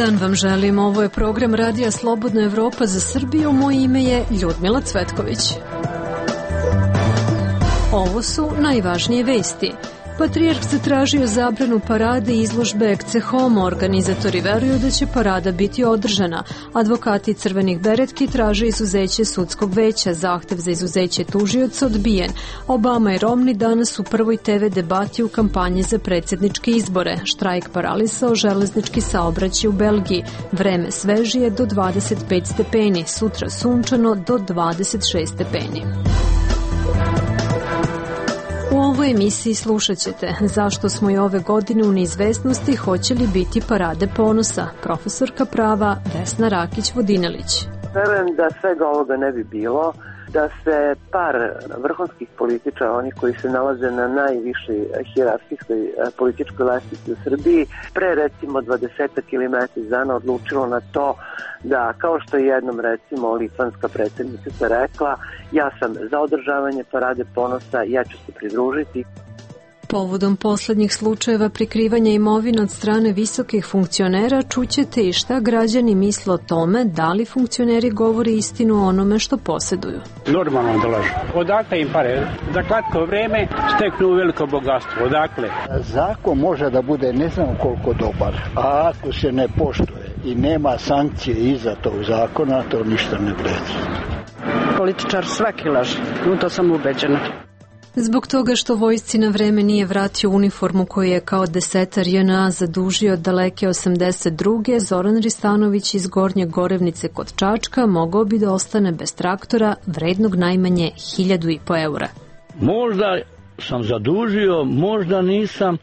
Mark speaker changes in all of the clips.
Speaker 1: dan vam želim. Ovo je program Radija Slobodna Evropa za Srbiju. Moje ime je Ljudmila Cvetković. Ovo su najvažnije vesti. Patrijarh zatražio zabranu parade i izložbe Ecce Homo. Organizatori veruju da će parada biti održana. Advokati Crvenih beretki traže izuzeće sudskog veća. Zahtev za izuzeće tužioca odbijen. Obama i Romney danas u prvoj TV debati u kampanji za predsjedničke izbore. Štrajk paralisao železnički saobraćaj u Belgiji. Vreme svežije do 25 stepeni. Sutra sunčano do 26 stepeni. U ovoj emisiji slušat ćete zašto smo i ove godine u neizvesnosti, hoće li biti parade ponosa. Profesorka prava Vesna Rakić-Vodinelić.
Speaker 2: Verujem da svega ovoga ne bi bilo, da se par vrhunskih političara, oni koji se nalaze na najvišoj hijerarhijskoj političkoj lestvici u Srbiji, pre recimo 20 ili mesec dana odlučilo na to da, kao što je jednom recimo litvanska predsjednica rekla, ja sam za održavanje parade ponosa, ja ću se pridružiti.
Speaker 1: Povodom poslednjih slučajeva prikrivanja imovine od strane visokih funkcionera čućete i šta građani misle o tome da li funkcioneri govori istinu o onome što posjeduju.
Speaker 3: Normalno da lažu. Odakle im pare? Za kratko vreme steknu veliko bogatstvo. Odakle?
Speaker 4: Zakon može da bude ne znam koliko dobar, a ako se ne poštuje i nema sankcije iza tog zakona, to ništa ne vredi.
Speaker 5: Političar svaki laže, u to sam ubeđena.
Speaker 1: Zbog toga što vojsci na vreme nije vratio uniformu koju je kao desetar JNA zadužio od daleke 82. Zoran Ristanović iz Gornje Gorevnice kod Čačka mogao bi da ostane bez traktora vrednog najmanje 1.500 eura.
Speaker 6: Možda sam zadužio, možda nisam,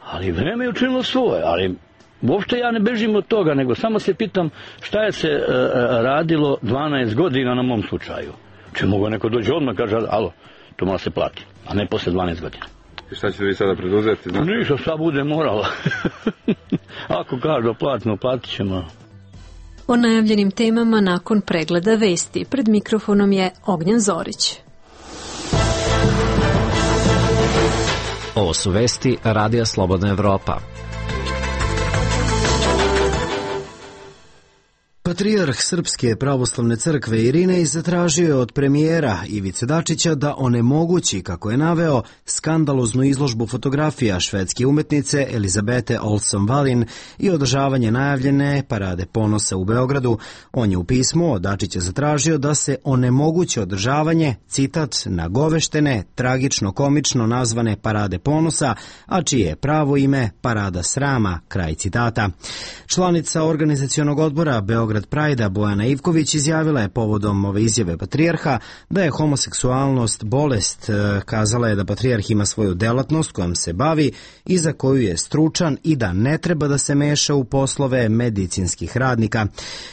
Speaker 6: ali vreme je učinilo svoje, ali uopšte ja ne bežim od toga, nego samo se pitam šta je se radilo 12 godina na mom slučaju. Če mogu neko dođe odmah i kaže, alo, to mora se plati, a ne posle 12 godina.
Speaker 7: I šta ćete vi sada preduzeti?
Speaker 6: Ništa, šta bude moralo. Ako kažu platimo, platit ćemo.
Speaker 1: O najavljenim temama nakon pregleda vesti. Pred mikrofonom je Ognjen Zorić.
Speaker 8: Ovo su vesti Radija Slobodna Evropa.
Speaker 9: Patrijarh Srpske pravoslavne crkve Irinej zatražio je od premijera Ivice Dačića da onemogući, kako je naveo, skandaloznu izložbu fotografija švedske umetnice Elizabete Olsson Wallin i održavanje najavljene parade ponosa u Beogradu. On je u pismu od Dačića zatražio da se onemogući održavanje, citat, nagoveštene, tragično-komično nazvane parade ponosa, a čije je pravo ime parada srama, kraj citata. Članica organizacionog odbora Beograd Prajda Bojana Ivković izjavila je povodom ove izjave patrijarha da je homoseksualnost bolest. Kazala je da patrijarh ima svoju delatnost kojom se bavi i za koju je stručan i da ne treba da se meša u poslove medicinskih radnika.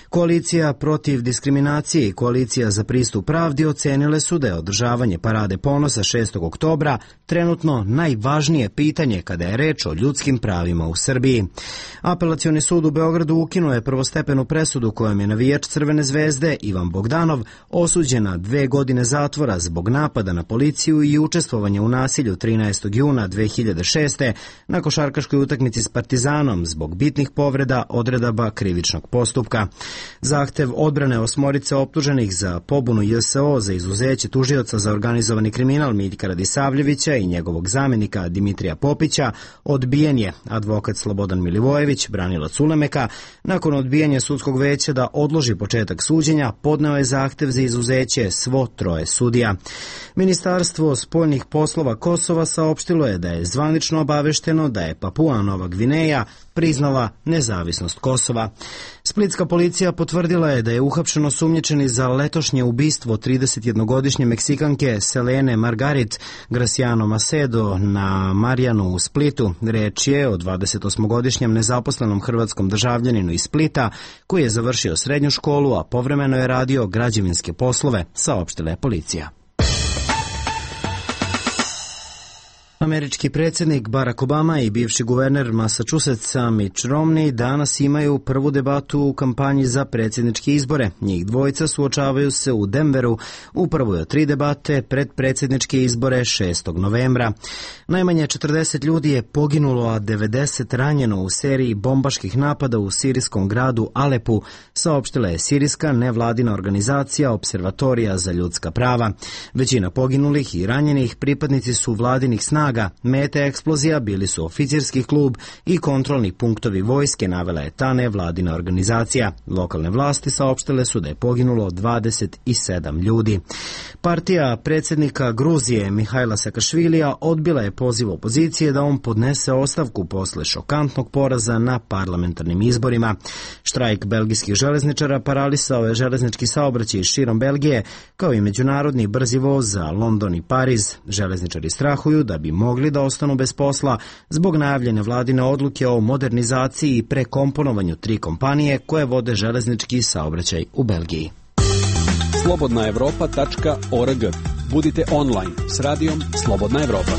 Speaker 9: Koalicija protiv diskriminacije i Koalicija za pristup pravdi ocenile su da je održavanje parade ponosa 6. oktobra trenutno najvažnije pitanje kada je reč o ljudskim pravima u Srbiji. Apelacioni sud u Beogradu ukinuo je prvostepenu presudu kojom je navijač Crvene zvezde Ivan Bogdanov osuđen na 2 godine zatvora zbog napada na policiju i učestvovanja u nasilju 13. juna 2006. na košarkaškoj utakmici s Partizanom zbog bitnih povreda odredaba krivičnog postupka. Zahtev odbrane 8 optuženih za pobunu JSO za izuzeće tužioca za organizovani kriminal Miljka Radisavljevića i njegovog zamenika Dimitrija Popića odbijen je. Advokat Slobodan Milivojević, branilac Ulemeka, nakon odbijanja sudskog veća da odloži početak suđenja, podneo je zahtev za izuzeće svo 3 sudija. Ministarstvo spoljnih poslova Kosova saopštilo je da je zvanično obavešteno da je Papua Nova Gvineja priznala nezavisnost Kosova. Splitska policija potvrdila je da je uhapšeno osumnjičeni za letošnje ubistvo 31-godišnje Meksikanke Selene Margarit Graciano Macedo na Marjanu u Splitu. Reč je o 28-godišnjem nezaposlenom hrvatskom državljaninu iz Splita koji je završio srednju školu, a povremeno je radio građevinske poslove, saopštila je policija. Američki predsjednik Barack Obama i bivši guverner Massachusettsa Mitt Romney danas imaju prvu debatu u kampanji za predsjedničke izbore. Njih dvojica suočavaju se u Denveru u prvoj od 3 debate pred predsjedničke izbore 6. novembra. Najmanje 40 ljudi je poginulo, a 90 ranjeno u seriji bombaških napada u sirijskom gradu Alepu, saopštila je sirijska nevladina organizacija Observatorija za ljudska prava. Većina poginulih i ranjenih pripadnici su vladinih snaga. Mete eksplozija bili su oficirski klub i kontrolni punktovi vojske, navela je ta nevladina organizacija. Lokalne vlasti saopštile su da je poginulo 27 ljudi. Partija predsjednika Gruzije Mihajla Sakašvilija odbila je poziv opozicije da on podnese ostavku posle šokantnog poraza na parlamentarnim izborima. Štrajk belgijskih železničara paralisao je železnički saobraćaj širom Belgije, kao i međunarodni brzi voz za London i Pariz. Železničari strahuju da bi mogli da ostanu bez posla zbog najavljene vladine odluke o modernizaciji i prekomponovanju 3 kompanije koje vode železnički saobraćaj u Belgiji.
Speaker 10: slobodnaevropa.org. Budite online s radijom Slobodna Evropa.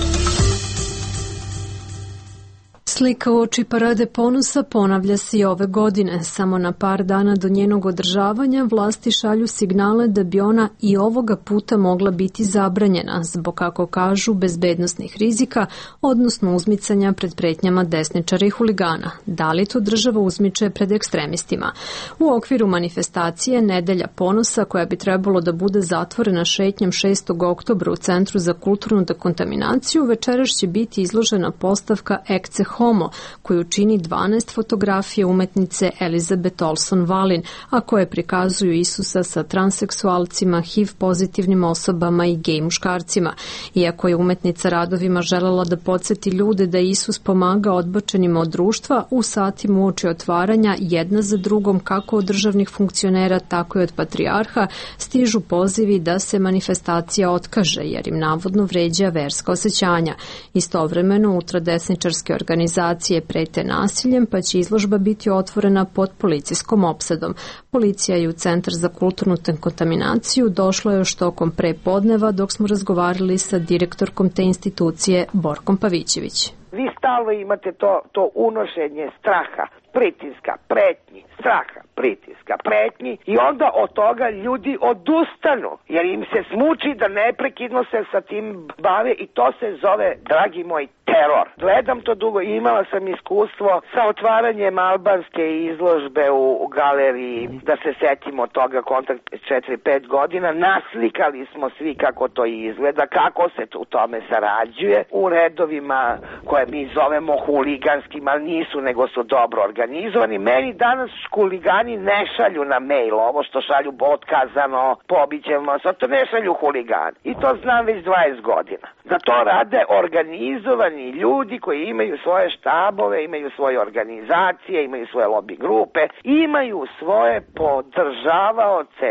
Speaker 1: Slika uoči Parade ponosa ponavlja se i ove godine. Samo na par dana do njenog održavanja vlasti šalju signale da bi ona i ovoga puta mogla biti zabranjena zbog, kako kažu, bezbednosnih rizika, odnosno uzmicanja pred pretnjama desničara i huligana. Da li to država uzmiče pred ekstremistima? U okviru manifestacije Nedelja ponosa, koja bi trebalo da bude zatvorena šetnjom 6. oktobra u Centru za kulturnu dekontaminaciju, večeras će biti izložena postavka Ecce Homo, koju čini 12 fotografije umetnice Elizabeth Olson Wallin, a koje prikazuju Isusa sa transseksualcima, HIV pozitivnim osobama i gej muškarcima. Iako je umetnica radovima želela da podsjeti ljude da Isus pomaga odbačenima od društva, u satima uoči otvaranja jedna za drugom, kako od državnih funkcionera, tako i od patrijarha, stižu pozivi da se manifestacija otkaže, jer im navodno vređa verska osjećanja. Istovremeno, ultradesničarske organizacije prete nasiljem, pa će izložba biti otvorena pod policijskom opsadom. Policija i u Centar za kulturnu dekontaminaciju došla je još tokom prepodneva dok smo razgovarali sa direktorkom te institucije Borkom Pavićević.
Speaker 11: Vi stalno imate to unošenje straha, pritiska, pretnji, straha, pritiska, pretnji i onda od toga ljudi odustanu jer im se smuči da neprekidno se sa tim bave i to se zove, dragi moj, teror. Gledam to dugo i imala sam iskustvo sa otvaranjem albanske izložbe u galeriji, da se setimo toga, kontakt 4-5 godina, naslikali smo svi kako to izgleda, kako se u tome sarađuje, u redovima koje mi zovemo huliganskim, ali nisu, nego su dobro organizovani. Meni danas huligani ne šalju na mail ovo što šalju otkazano, pobićemo, to ne šalju huligani. I to znam već 20 godina. Da to rade organizovani ljudi koji imaju svoje štabove, imaju svoje organizacije, imaju svoje lobby grupe, imaju svoje podržavaoce.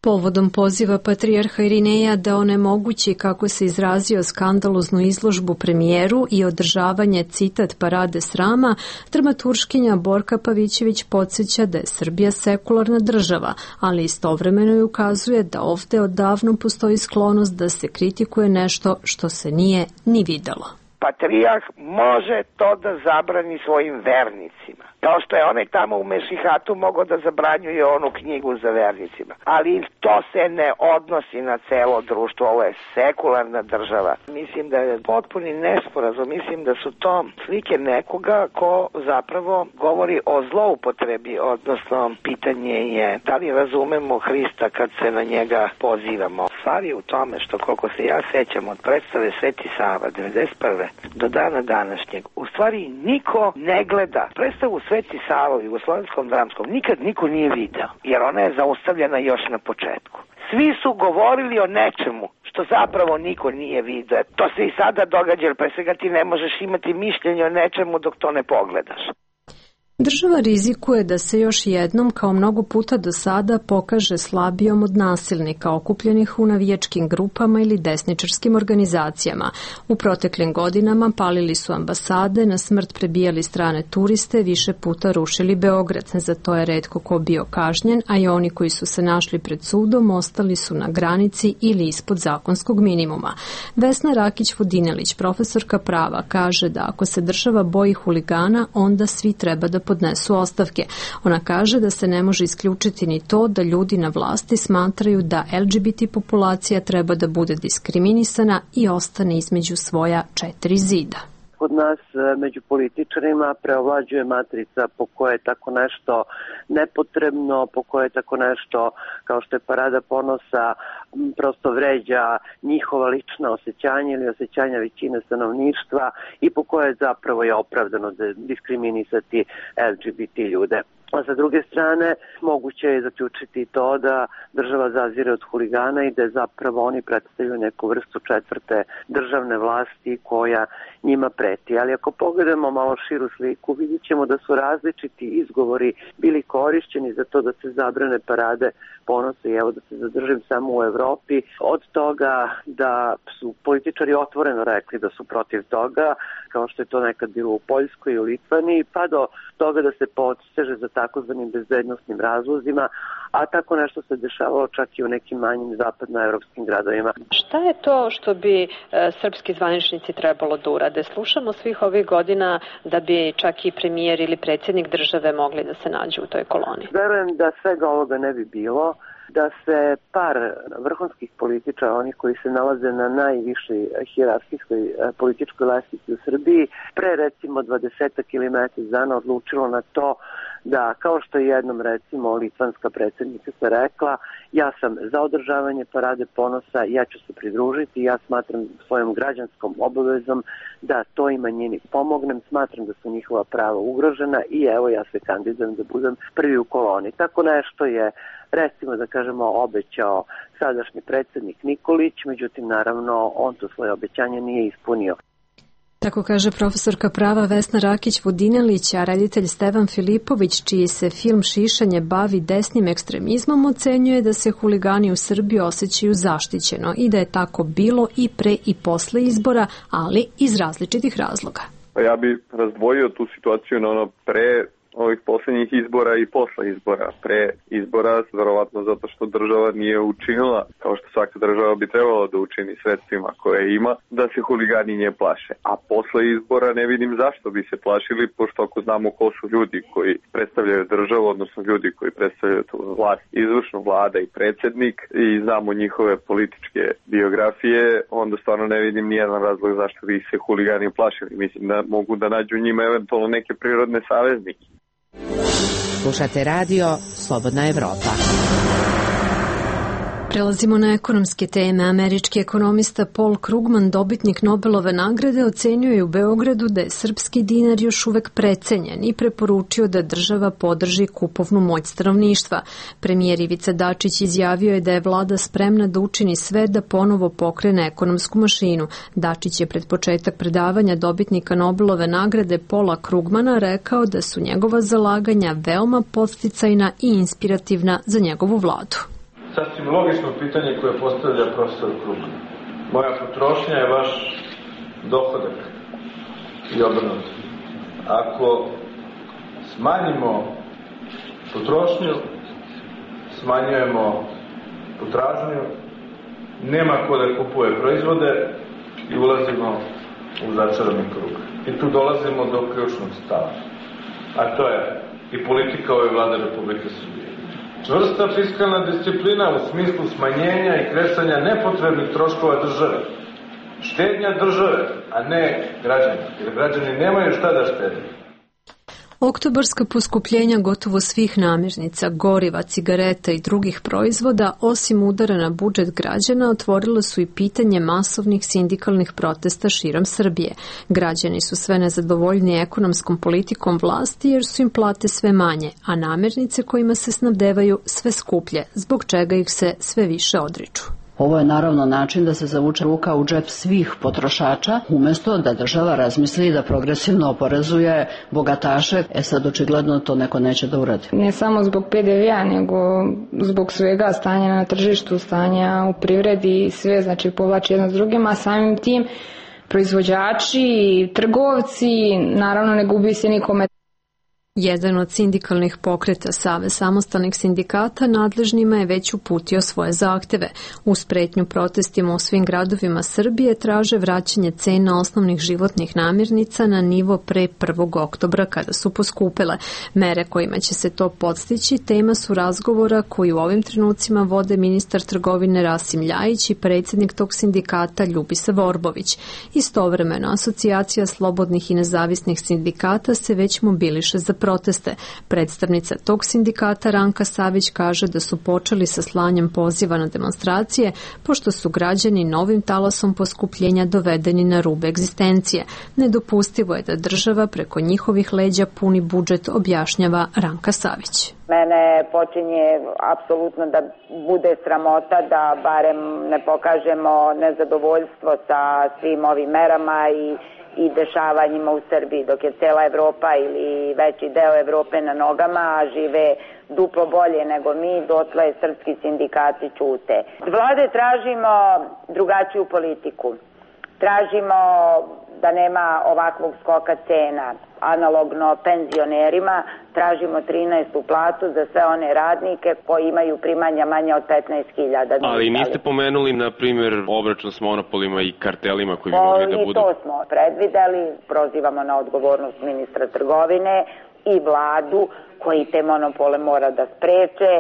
Speaker 1: Povodom poziva patrijarha Irineja da onemogući, kako se izrazio, skandaloznu izložbu premijeru i održavanje, citat, parade srama, dramaturškinja Borka Pavićević podsjeća da je Srbija sekularna država, ali istovremeno je ukazuje da ovde odavno postoji sklonost da se kritikuje nešto što se nije ni videlo.
Speaker 11: Patrijarh može to da zabrani svojim vernicima. Kao što je onaj tamo u Mešihatu mogao da zabranjuje onu knjigu za vernicima. Ali to se ne odnosi na celo društvo, ovo je sekularna država. Mislim da je potpuni nesporazum, mislim da su to slike nekoga ko zapravo govori o zloupotrebi, odnosno pitanje je da li razumemo Hrista kad se na njega pozivamo. Stvar je u tome što, koliko se ja sećam od predstave Sveti Sava 1991. do dana današnjeg, u stvari niko ne gleda predstavu Sveti Sava u Jugoslovenskom dramskom, nikad niko nije video, jer ona je zaustavljena još na početku. Svi su govorili o nečemu što zapravo niko nije video. To se i sada događa, jer pre svega ti ne možeš imati mišljenje o nečemu dok to ne pogledaš.
Speaker 1: Država rizikuje da se još jednom, kao mnogo puta do sada, pokaže slabijom od nasilnika okupljenih u navijačkim grupama ili desničarskim organizacijama. U proteklim godinama palili su ambasade, na smrt prebijali strane turiste, više puta rušili Beograd. Za to je retko ko bio kažnjen, a i oni koji su se našli pred sudom ostali su na granici ili ispod zakonskog minimuma. Vesna Rakić-Vodinelić, profesorka prava, kaže da ako se država boji huligana, onda svi treba da podnesu ostavke. Ona kaže da se ne može isključiti ni to da ljudi na vlasti smatraju da LGBT populacija treba da bude diskriminisana i ostane između svoja četiri zida.
Speaker 2: Kod nas među političarima preovlađuje matrica po kojoj je tako nešto nepotrebno, po kojoj je tako nešto kao što je parada ponosa prosto vređa njihova lična osjećanja ili osjećanja većine stanovništva i po kojoj zapravo je opravdano diskriminisati LGBT ljude. A sa druge strane, moguće je zaključiti to da država zazire od huligana i da zapravo oni predstavljaju neku vrstu četvrte državne vlasti koja njima preti. Ali ako pogledamo malo širu sliku, vidjet ćemo da su različiti izgovori bili korišćeni za to da se zabrane parade ponosa i evo da se zadržim samo u Evropi. Od toga da su političari otvoreno rekli da su protiv toga, kao što je to nekad bilo u Poljskoj i u Litvaniji, pa do toga da se poseže za takozvanim bezbednosnim razlozima, a tako nešto se dešavalo čak i u nekim manjim zapadnoevropskim gradovima.
Speaker 1: Šta je to što bi srpski zvaničnici trebalo da urade? Slušamo svih ovih godina da bi čak i premijer ili predsjednik države mogli da se nađu u toj koloni.
Speaker 2: Verujem da svega ovoga ne bi bilo, da se par vrhunskih političara, onih koji se nalaze na najvišoj hijerarhijskoj političkoj lestvici u Srbiji, pre recimo 20 ili mjesec dana odlučilo na to da, kao što je jednom recimo litvanska predsjednica rekla, ja sam za održavanje parade ponosa, ja ću se pridružiti, ja smatram svojom građanskom obavezom da toj manjini pomognem, smatram da su njihova prava ugrožena i evo ja se kandidujem da budem prvi u koloni. Tako nešto je, recimo da kažemo, obećao sadašnji predsjednik Nikolić, međutim naravno on to svoje obećanje nije ispunio.
Speaker 1: Tako kaže profesorka prava Vesna Rakić-Vodinelić, a reditelj Stevan Filipović, čiji se film Šišanje bavi desnim ekstremizmom, ocenjuje da se huligani u Srbiji osjećaju zaštićeno i da je tako bilo i pre i posle izbora, ali iz različitih razloga.
Speaker 12: Ja bih razdvojio tu situaciju na ono pre ovih posljednjih izbora i posle izbora. Pre izbora, verovatno zato što država nije učinila, kao što svaka država bi trebala da učini sredstvima koje ima, da se huligani nje plaše. A posle izbora ne vidim zašto bi se plašili, pošto ako znamo ko su ljudi koji predstavljaju državu, odnosno ljudi koji predstavljaju tu vlast, izvršnu vlada i predsjednik, i znamo njihove političke biografije, onda stvarno ne vidim nijedan razlog zašto bi se huligani plašili. Mislim da mogu da nađu njima eventualno neke prirodne saveznike.
Speaker 13: Slušate radio Slobodna Evropa.
Speaker 1: Prelazimo na ekonomske teme. Američki ekonomista Paul Krugman, dobitnik Nobelove nagrade, ocenjuje u Beogradu da je srpski dinar još uvek precenjen i preporučio da država podrži kupovnu moć stanovništva. Premijer Ivica Dačić izjavio je da je vlada spremna da učini sve da ponovo pokrene ekonomsku mašinu. Dačić je pred početak predavanja dobitnika Nobelove nagrade Paula Krugmana rekao da su njegova zalaganja veoma podsticajna i inspirativna za njegovu vladu.
Speaker 14: Sasvim logično pitanje koje postavlja profesor Krugman. Moja potrošnja je vaš dohodak i obrnuto. Ako smanjimo potrošnju, smanjujemo potražnju, nema ko da kupuje proizvode i ulazimo u začarani krug. I tu dolazimo do ključnog stava. A to je i politika ove vlade Republike Srbije. Čvrsta fiskalna disciplina u smislu smanjenja i kresanja nepotrebnih troškova države. Štednja države, a ne građani. Jer građani nemaju šta da štede.
Speaker 1: Oktobarska poskupljenja gotovo svih namirnica, goriva, cigareta i drugih proizvoda, osim udara na budžet građana, otvorila su i pitanje masovnih sindikalnih protesta širom Srbije. Građani su sve nezadovoljni ekonomskom politikom vlasti jer su im plate sve manje, a namirnice kojima se snabdevaju sve skuplje, zbog čega ih se sve više odriču.
Speaker 5: Ovo je naravno način da se zavuče ruka u džep svih potrošača, umjesto da država razmisli da progresivno oporezuje bogataše. Sad očigledno to neko neće da uradi.
Speaker 15: Ne samo zbog PDV-a, nego zbog svega stanja na tržištu, stanja u privredi, sve znači povlači jedno s drugim, a samim tim proizvođači, trgovci, naravno ne gubi se nikome.
Speaker 1: Jedan od sindikalnih pokreta Savez samostalnih sindikata nadležnima je već uputio svoje zahteve. Uz pretnju protestima u svim gradovima Srbije traže vraćanje cena osnovnih životnih namirnica na nivo pre 1. oktobra kada su poskupile. Mere kojima će se to podstići tema su razgovora koji u ovim trenucima vode ministar trgovine Rasim Ljajić i predsjednik tog sindikata Ljubisa Vorbović. Istovremeno, Asocijacija slobodnih i nezavisnih sindikata se već mobiliše za proteste. Predstavnica tog sindikata Ranka Savić kaže da su počeli sa slanjem poziva na demonstracije, pošto su građani novim talasom poskupljenja dovedeni na rub egzistencije. Nedopustivo je da država preko njihovih leđa puni budžet, objašnjava Ranka Savić.
Speaker 16: Mene počinje apsolutno da bude sramota da barem ne pokažemo nezadovoljstvo sa svim ovim merama i dešavanjima u Srbiji, dok je cela Evropa ili veći deo Evrope na nogama, a žive duplo bolje nego mi, dotle srpski sindikati ćute. Od vlade tražimo drugačiju politiku. Tražimo da nema ovakvog skoka cena, analogno penzionerima, tražimo 13. platu za sve one radnike koji imaju primanja manje od 15.000.
Speaker 17: Ali niste pomenuli, na primjer, obračun s monopolima i kartelima koji bi mogli da budu?
Speaker 16: To smo predvideli, prozivamo na odgovornost ministra trgovine i vladu koji te monopole mora da spreče.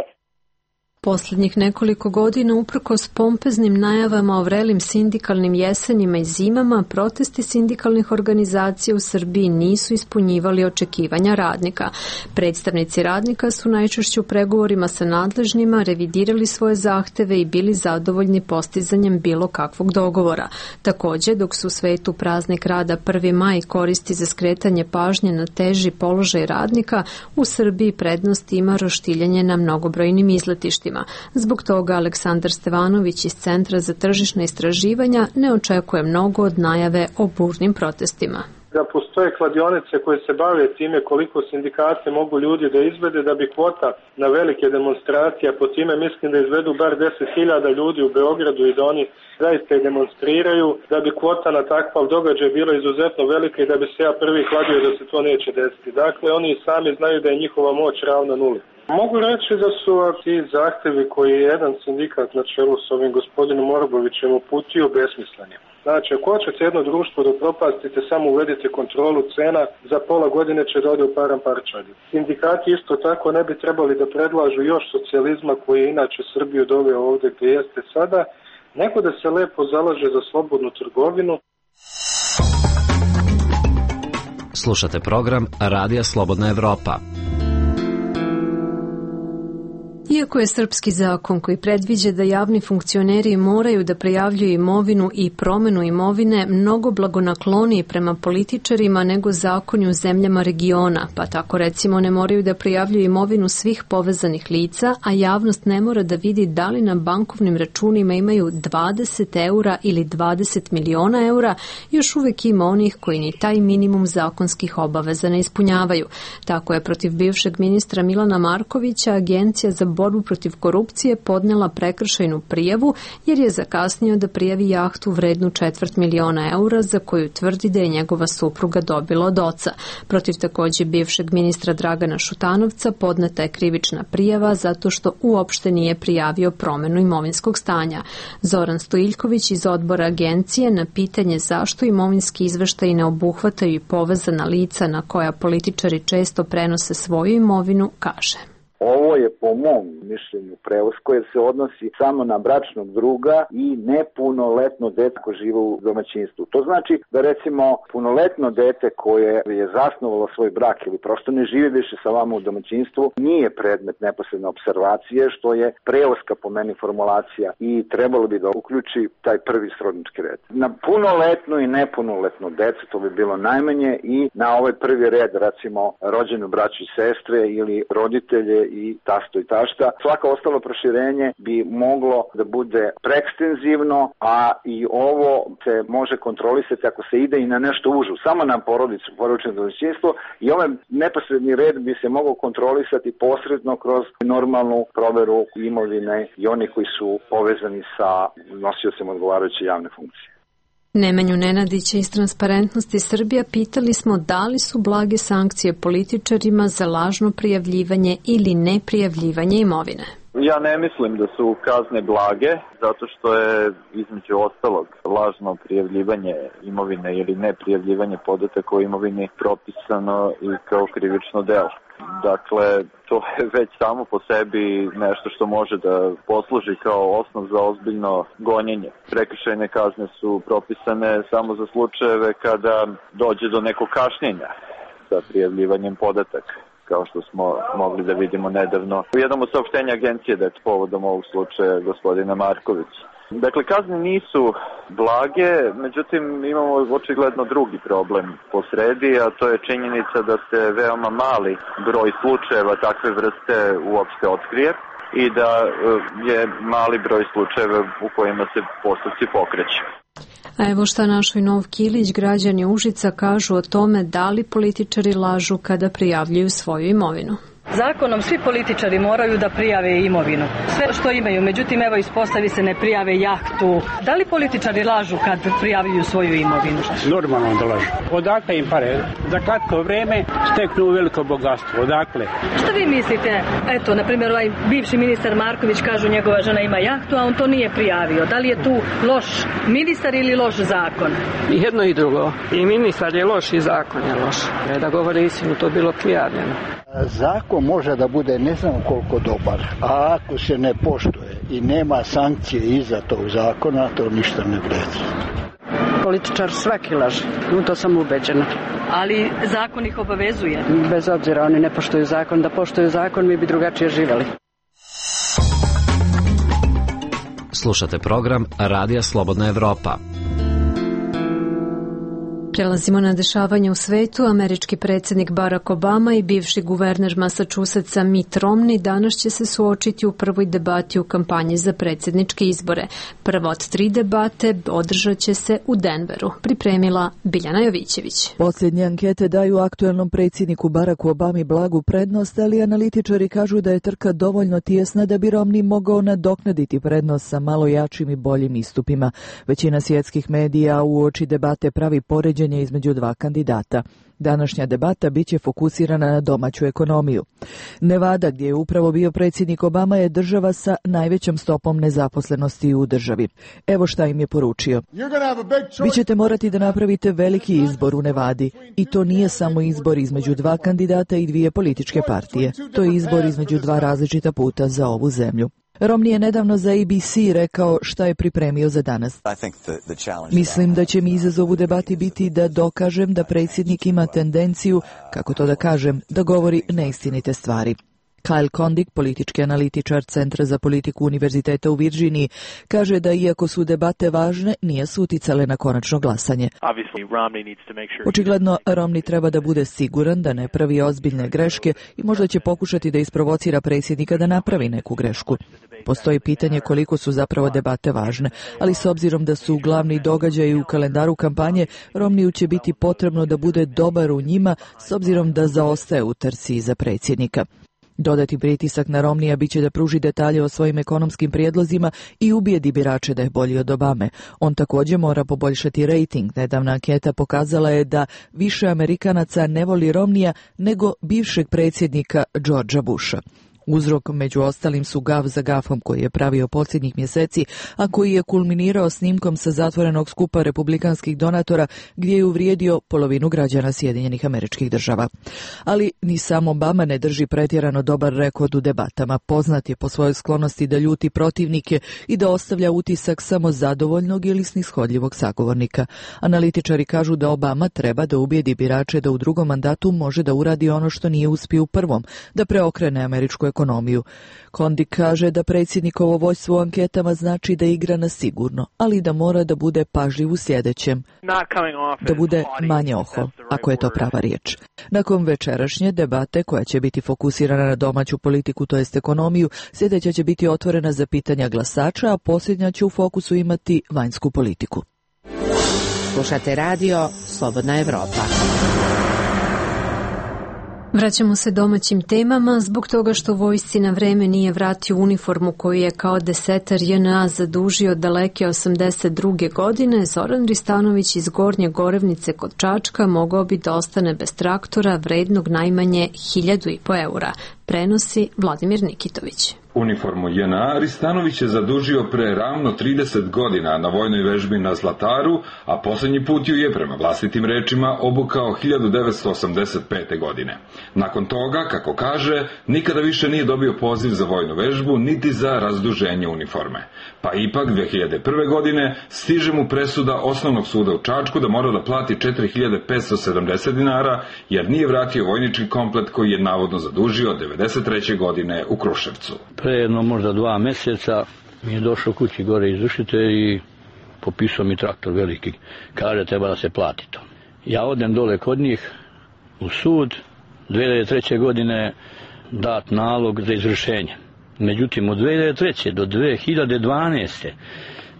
Speaker 1: Posljednjih nekoliko godina, uprkos pompeznim najavama o vrelim sindikalnim jesenjima i zimama, protesti sindikalnih organizacija u Srbiji nisu ispunjivali očekivanja radnika. Predstavnici radnika su najčešće u pregovorima sa nadležnima revidirali svoje zahteve i bili zadovoljni postizanjem bilo kakvog dogovora. Također, dok su u svetu praznik rada 1. maj koristi za skretanje pažnje na teži položaj radnika, u Srbiji prednost ima roštiljanje na mnogobrojnim izletištima. Zbog toga Aleksandar Stevanović iz Centra za tržišna istraživanja ne očekuje mnogo od najave o burnim protestima.
Speaker 18: Da postoje kladionice koje se bave time koliko sindikate mogu ljudi da izvede da bi kvota na velike demonstracije, po time mislim da izvedu bar 10.000 ljudi u Beogradu i da oni zaista demonstriraju, da bi kvota na takav događaj bila izuzetno velika i da bi se ja prvi kladio da se to neće desiti. Dakle, oni sami znaju da je njihova moć ravna nuli. Mogu reći da su ti zahtevi koji je jedan sindikat na čelu s ovim gospodinom Orbovićem uputio besmisleni. Znači, ako hoćete jedno društvo da propastite, samo uvedite kontrolu cena, za pola godine će da ode u paramparčadi. Sindikati isto tako ne bi trebali da predlažu još socijalizma koji je inače Srbiju doveo ovdje gdje jeste sada, nego da se lepo zalaže za slobodnu trgovinu.
Speaker 8: Slušate program Radija Slobodna Evropa.
Speaker 1: Iako je srpski zakon koji predviđa da javni funkcioneri moraju da prijavljuju imovinu i promenu imovine mnogo blagonakloniji prema političarima nego zakoni u zemljama regiona, pa tako recimo ne moraju da prijavljuju imovinu svih povezanih lica, a javnost ne mora da vidi da li na bankovnim računima imaju 20 eura ili 20 miliona eura, još uvijek ima onih koji ni taj minimum zakonskih obaveza ne ispunjavaju. Tako je protiv bivšeg ministra Milana Markovića Agencija za borbu protiv korupcije podnela prekršajnu prijavu jer je zakasnio da prijavi jahtu vrednu 250.000 eura za koju tvrdi da je njegova supruga dobila od oca. Protiv također bivšeg ministra Dragana Šutanovca podneta je krivična prijava zato što uopšte nije prijavio promjenu imovinskog stanja. Zoran Stojiljković iz odbora agencije na pitanje zašto imovinski izveštaji ne obuhvataju i povezana lica na koja političari često prenose svoju imovinu, kaže.
Speaker 19: Ovo je po mom mišljenju preusko jer se odnosi samo na bračnog druga i nepunoletno dete koje žive u domaćinstvu. To znači da recimo punoletno dete koje je zasnovalo svoj brak ili prosto ne živi više sa vama u domaćinstvu nije predmet neposredne observacije, što je preuska po meni formulacija i trebalo bi da uključi taj prvi srodnički red. Na punoletno i nepunoletno decu to bi bilo najmanje i na ovaj prvi red recimo rođenu braću i sestre ili roditelje i tasto i tašta. Svako ostalo proširenje bi moglo da bude preekstenzivno, a i ovo se može kontrolisati ako se ide i na nešto užu, samo na porodicu, porodično domaćinstvo, i ovaj neposredni red bi se mogao kontrolisati posredno kroz normalnu proveru imovine i oni koji su povezani sa nosiocem odgovarajuće javne funkcije.
Speaker 1: Nemanju Nenadića iz Transparentnosti Srbija pitali smo da li su blage sankcije političarima za lažno prijavljivanje ili neprijavljivanje imovine.
Speaker 12: Ja ne mislim da su kazne blage, zato što je između ostalog lažno prijavljivanje imovine ili neprijavljivanje podataka o imovini propisano i kao krivično delo. Dakle, to je već samo po sebi nešto što može da posluži kao osnov za ozbiljno gonjenje. Prekršajne kazne su propisane samo za slučajeve kada dođe do nekog kašnjenja sa prijavljivanjem podataka, kao što smo mogli da vidimo nedavno u jednom od saopštenja agencije da je povodom ovog slučaja gospodina Markovića. Dakle, kazne nisu blage, međutim imamo očigledno drugi problem po sredi, a to je činjenica da se veoma mali broj slučajeva takve vrste uopšte otkrije i da je mali broj slučajeva u kojima se postupci pokreću.
Speaker 1: A evo šta našoj Nov Kilić, građani Užica, kažu o tome da li političari lažu kada prijavljuju svoju imovinu.
Speaker 20: Zakonom svi političari moraju da prijave imovinu, sve što imaju, međutim evo ispostavi se ne prijave jahtu. Da li političari lažu kad prijavljuju svoju imovinu?
Speaker 3: Normalno da lažu. Odakle im pare? Za kratko vreme steknu veliko bogatstvo. Odakle?
Speaker 20: Šta vi mislite? Eto, na primjer, ovaj bivši ministar Marković, kažu njegova žena ima jahtu, a on to nije prijavio. Da li je tu loš ministar ili loš zakon?
Speaker 21: I jedno i drugo. I ministar je loš i zakon je loš. Da govore istinu, to bilo prijavljeno.
Speaker 4: Zakon može da bude ne znam koliko dobar, a ako se ne poštuje i nema sankcije iza tog zakona, to ništa ne vredi.
Speaker 21: Političar svaki laže, u to sam ubeđena.
Speaker 20: Ali zakon ih obavezuje?
Speaker 21: Bez obzira, oni ne poštuju zakon. Da poštuju zakon, mi bi drugačije živeli.
Speaker 8: Slušate program Radija Slobodna Evropa.
Speaker 1: Prelazimo na dešavanje u svetu. Američki predsjednik Barack Obama i bivši guverner Massachusettsa Mitt Romney danas će se suočiti u prvoj debati u kampanji za predsjedničke izbore. Prva od 3 debate održat će se u Denveru. Pripremila Biljana Jovićević.
Speaker 22: Posljednje ankete daju aktuelnom predsjedniku Baracku Obami blagu prednost, ali analitičari kažu da je trka dovoljno tijesna da bi Romney mogao nadoknaditi prednost sa malo jačim i boljim istupima. Većina svjetskih medija uoči debate pravi poređenje između 2 kandidata. Današnja debata biće fokusirana na domaću ekonomiju. Nevada, gdje je upravo bio predsjednik Obama, je država sa najvećom stopom nezaposlenosti u državi. Evo šta im je poručio. Vi ćete morati da napravite veliki izbor u Nevadi. I to nije samo izbor između 2 kandidata i 2 političke partije. To je izbor između 2 različita puta za ovu zemlju. Romney je nedavno za ABC rekao šta je pripremio za danas. Mislim da će mi izazov u debati biti da dokažem da predsjednik ima tendenciju, kako to da kažem, da govori neistinite stvari. Kyle Kondik, politički analitičar Centra za politiku Univerziteta u Virdžiniji, kaže da iako su debate važne, nije su uticale na konačno glasanje. Očigledno, Romney treba da bude siguran da ne pravi ozbiljne greške i možda će pokušati da isprovocira predsjednika da napravi neku grešku. Postoji pitanje koliko su zapravo debate važne, ali s obzirom da su glavni događaji u kalendaru kampanje, Romneyu će biti potrebno da bude dobar u njima s obzirom da zaostaje u trci za predsjednika. Dodati pritisak na Romneya biće da pruži detalje o svojim ekonomskim prijedlozima i ubijedi birače da je bolji od Obame. On također mora poboljšati rejting. Nedavna anketa pokazala je da više Amerikanaca ne voli Romneya nego bivšeg predsjednika Georgea Busha. Uzrok među ostalim su gaf za gafom koji je pravio posljednjih mjeseci, a koji je kulminirao snimkom sa zatvorenog skupa republikanskih donatora gdje je uvrijedio polovinu građana Sjedinjenih Američkih Država. Ali ni sam Obama ne drži pretjerano dobar rekord u debatama. Poznat je po svojoj sklonosti da ljuti protivnike i da ostavlja utisak samo zadovoljnog ili snishodljivog sagovornika. Analitičari kažu da Obama treba da ubijedi birače da u drugom mandatu može da uradi ono što nije uspio u prvom, da preokrene američku ekonomiju. Kondik kaže da predsjednikovo vođstvo u anketama znači da igra na sigurno, ali da mora da bude pažljiv u sljedećem. Da bude manje ohol, ako je to prava riječ. Nakon večerašnje debate, koja će biti fokusirana na domaću politiku, to jest ekonomiju, sljedeća će biti otvorena za pitanja glasača, a posljednja će u fokusu imati vanjsku politiku.
Speaker 13: Slušate radio Slobodna Evropa.
Speaker 1: Vraćamo se domaćim temama zbog toga što vojsci na vreme nije vratio uniformu koju je kao desetar JNA zadužio daleke 82. godine. Zoran Ristanović iz Gornje Gorevnice kod Čačka mogao bi da ostane bez traktora vrednog najmanje 1.500 eura, prenosi Vladimir Nikitović.
Speaker 6: Uniformu JNA Ristanović je zadužio pre ravno 30 godina na vojnoj vežbi na Zlataru, a posljednji put ju je, prema vlastitim rečima, obukao 1985. godine. Nakon toga, kako kaže, nikada više nije dobio poziv za vojnu vežbu, niti za razduženje uniforme. Pa ipak 2001. godine stiže mu presuda Osnovnog suda u Čačku da mora da plati 4.570 dinara, jer nije vratio vojnički komplet koji je navodno zadužio 1993. godine u Kruševcu.
Speaker 7: Pre jedno možda 2 mjeseca mi je došao kući gore izvršite i popisao mi traktor veliki. Kaže, treba da se plati to. Ja odem dole kod njih u sud, 2003. godine dat nalog za izvršenje. Međutim, od 2003. do 2012.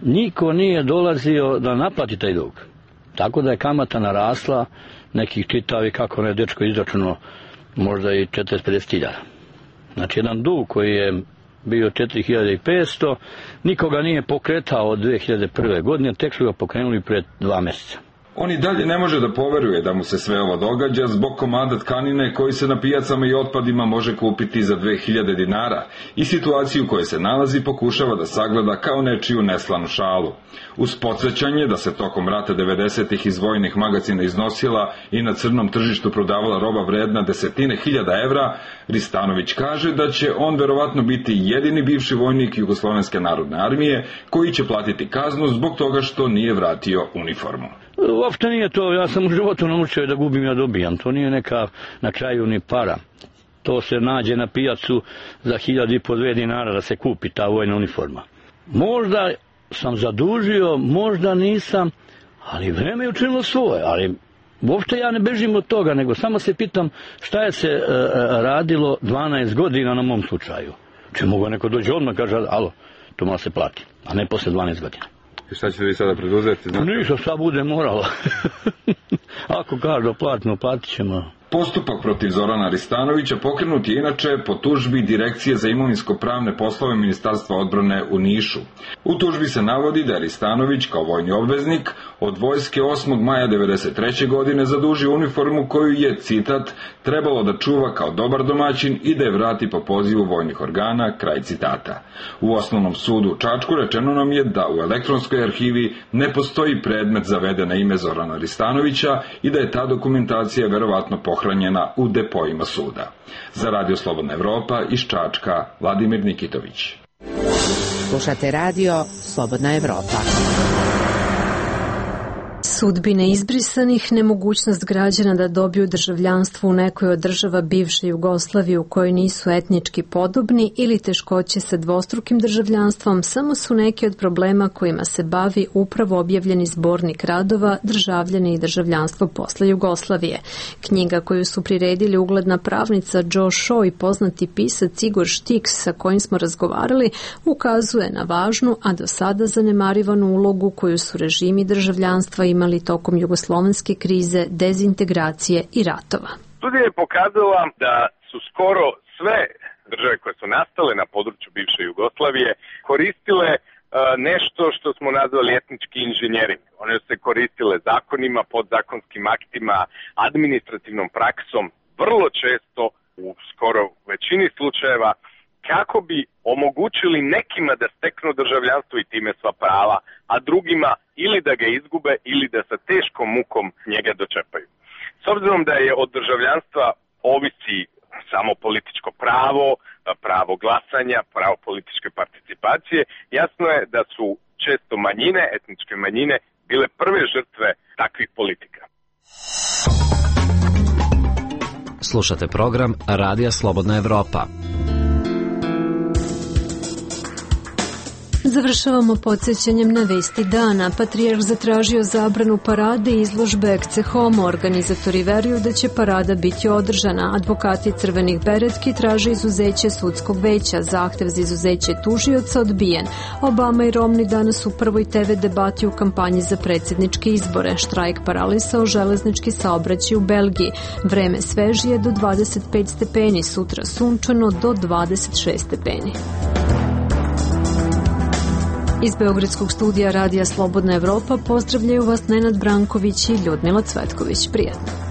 Speaker 7: niko nije dolazio da naplati taj dug. Tako da je kamata narasla, nekih čitavi kako ne dečko izračuno, možda i 40-50.000. Znači, jedan dug koji je bio 4.500, nikoga nije pokretao od 2001. godine, tek su ga pokrenuli pred 2 mjeseca.
Speaker 6: On i dalje ne može da poveruje da mu se sve ovo događa zbog komada tkanine koji se na pijacama i otpadima može kupiti za 2000 dinara i situaciju u kojoj se nalazi pokušava da sagleda kao nečiju neslanu šalu. Uz podsjećanje da se tokom rata 90-ih iz vojnih magacina iznosila i na crnom tržištu prodavala roba vredna desetine hiljada evra, Ristanović kaže da će on verovatno biti jedini bivši vojnik Jugoslovenske narodne armije koji će platiti kaznu zbog toga što nije vratio uniformu.
Speaker 7: Uopšte nije to, ja sam u životu naučio da gubim, ja dobijam. To nije neka na kraju ni para. To se nađe na pijacu za 1.500-2 dinara da se kupi ta vojna uniforma. Možda sam zadužio, možda nisam, ali vreme je učinilo svoje. Ali uopšte ja ne bežim od toga, nego samo se pitam šta je se radilo 12 godina na mom slučaju. Če mogu neko dođe odmah, kaže, alo, to mora se plati, a ne posle 12 godina.
Speaker 6: I šta ćete vi sada preduzeti?
Speaker 7: Ništa, šta bude moralo. Ako kažu platno, platit ćemo.
Speaker 6: Postupak protiv Zorana Ristanovića pokrenut je inače po tužbi Direkcije za imovinsko-pravne poslove Ministarstva odbrane u Nišu. U tužbi se navodi da je Ristanović kao vojni obveznik od vojske 8. maja 1993. godine zadužio uniformu koju je, citat, trebalo da čuva kao dobar domaćin i da je vrati po pozivu vojnih organa, kraj citata. U Osnovnom sudu u Čačku rečeno nam je da u elektronskoj arhivi ne postoji predmet zaveden na ime Zorana Ristanovića i da je ta dokumentacija verovatno pohranjena u depojima suda. Za Radio Slobodna Evropa iz Čačka, Vladimir Nikitović.
Speaker 13: Slušate radio Slobodna Evropa.
Speaker 1: Sudbine izbrisanih, nemogućnost građana da dobiju državljanstvo u nekoj od država bivše Jugoslavije u kojoj nisu etnički podobni ili teškoće sa dvostrukim državljanstvom samo su neki od problema kojima se bavi upravo objavljeni zbornik radova Državljani i državljanstvo posle Jugoslavije. Knjiga koju su priredili ugledna pravnica Joe Shaw i poznati pisac Igor Štiks sa kojim smo razgovarali ukazuje na važnu, a do sada zanemarivanu ulogu koju su režimi državljanstva imali tokom jugoslovenske krize, dezintegracije i ratova.
Speaker 23: Studija je pokazala da su skoro sve države koje su nastale na području bivše Jugoslavije koristile nešto što smo nazvali etnički inženjering. One su se koristile zakonima, podzakonskim aktima, administrativnom praksom, vrlo često u skoro većini slučajeva kako bi omogućili nekima da steknu državljanstvo i time sva prava, a drugima ili da ga izgube ili da sa teškom mukom njega dočepaju. S obzirom da je od državljanstva ovisi samo političko pravo, pravo glasanja, pravo političke participacije, jasno je da su često manjine, etničke manjine, bile prve žrtve takvih politika.
Speaker 8: Slušate program Radija Slobodna Evropa.
Speaker 1: Završavamo podsjećanjem na vesti dana. Patrijarh zatražio zabranu parade i izložbe Ecce Homo. Organizatori veruju da će parada biti održana. Advokati crvenih beretki traže izuzeće sudskog veća. Zahtev za izuzeće tužioca odbijen. Obama i Romney danas u prvoj TV debati u kampanji za predsjedničke izbore. Štrajk paralisao železnički saobraćaj u Belgiji. Vreme svežije do 25 stepeni, sutra sunčano do 26 stepeni. Iz Beogradskog studija Radija Slobodna Evropa pozdravljaju vas Nenad Branković i Ljudmila Cvetković. Prijatno.